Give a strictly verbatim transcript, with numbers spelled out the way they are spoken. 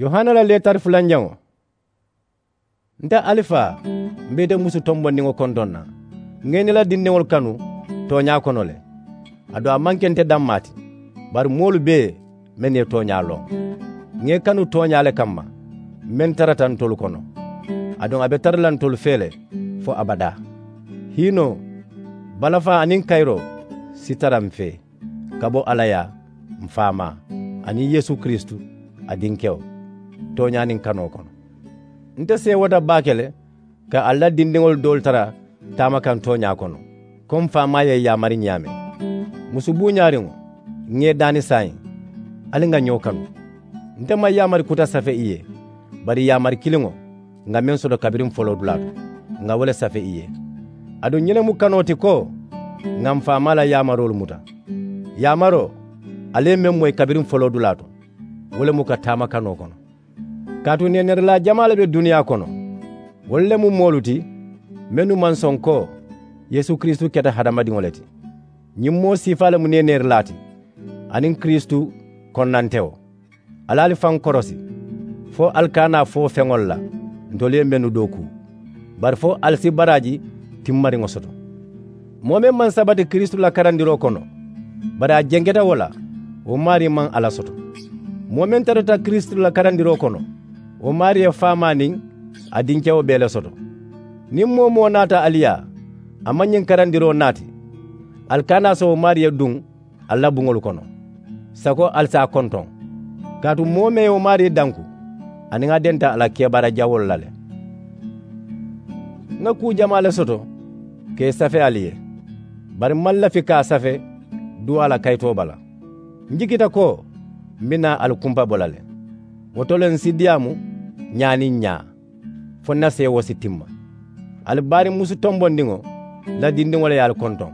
Yohana la leetari fulanjaŋo. Nte alifaa, m̀ be ite musu tombondiŋo kontoŋ na. Ŋà ì niŋ ì la dindiŋolu kanu tooñaa kono le. Aduŋ a maŋ ke nte dammaa ti, bari moolu bee mennu ye tooñaa loŋ. Ŋà ì kanu tooñaa le kamma, meŋ tarata ntolu kono, aduŋ a be tara la ntolu fee le fo abadaa. Hiinoo, balafaa aniŋ kayiroo si tara m̀ fee ka bo alla yaa, m̀ faamaa, aniŋ yeesu kiristu, a dinkewo, tooñaa niŋ kanoo kono. Nte seewota baake le ka alla la dindiŋolu doolu tara taama kaŋ tooñaa kono, ko m̀ faamaa ye ì yaamari ñaameŋ. Musu buuñaariŋo, ŋà ì daani saayiŋ, ali ŋà ñoo kanu. Nte maŋ yaamari kuta safe ì ye, bari yaamari kiliŋo, ŋà meŋ soto kabiriŋ foloodulaa to, ŋà wo le safe ì ye. Aduŋ ñiŋ ne mu kanoo ti ko, ŋà m̀ faamaa la yaamaroolu muta. Yaamaroo, ali ye meŋ moyi kabiriŋ foloodulaa to, wo le mu ka taama kanoo kono. Kaatu neeneerilaa jamaa le be duniyaa kono. Wolu le mu moolu ti mennu maŋ soŋ ko yeesu kiristu keta hadamadiŋo le ti. Ñiŋ moo siifaa le mu neeneerilaa ti, aniŋ kiristu konnantewo. Ali ali faŋ korosi, fo ali kana a fo feŋolu la ntolu ye mennu dookuu, bari fo ali si baraaji timmariŋo soto. Moo meŋ maŋ sabati kiristu la karandiroo kono, bari a jenketa wo la, wo maarii maŋ alla soto. Moo meŋ tarata kiristu la karandiroo kono, wo maarii ye faamaa niŋ a dinkewo bee le soto. Niŋ moo-wo-moo naata ali yaa, a maŋ ñiŋ karandiroo naati, ali kana a so wo maarii ye duŋ ali la buŋolu kono, sako ali si a kontoŋ. Kaatu moo meŋ ye wo maarii danku, aniŋ a denta a la kebaara jawoolu la le. Ŋà kuu jamaa le soto ka ì safe ali ye, bari m̀ maŋ lafi ka a safe duwaa la kayitoo bala. M̀ jikita ko m̀ be naa ali kumpa bo la le. Wo to le m̀ si diyaamu ñaa niŋ ñaa, fo ǹ na seewoo si timma. Ali baariŋ musu tombondiŋo la dindiŋo le ye ali kontoŋ.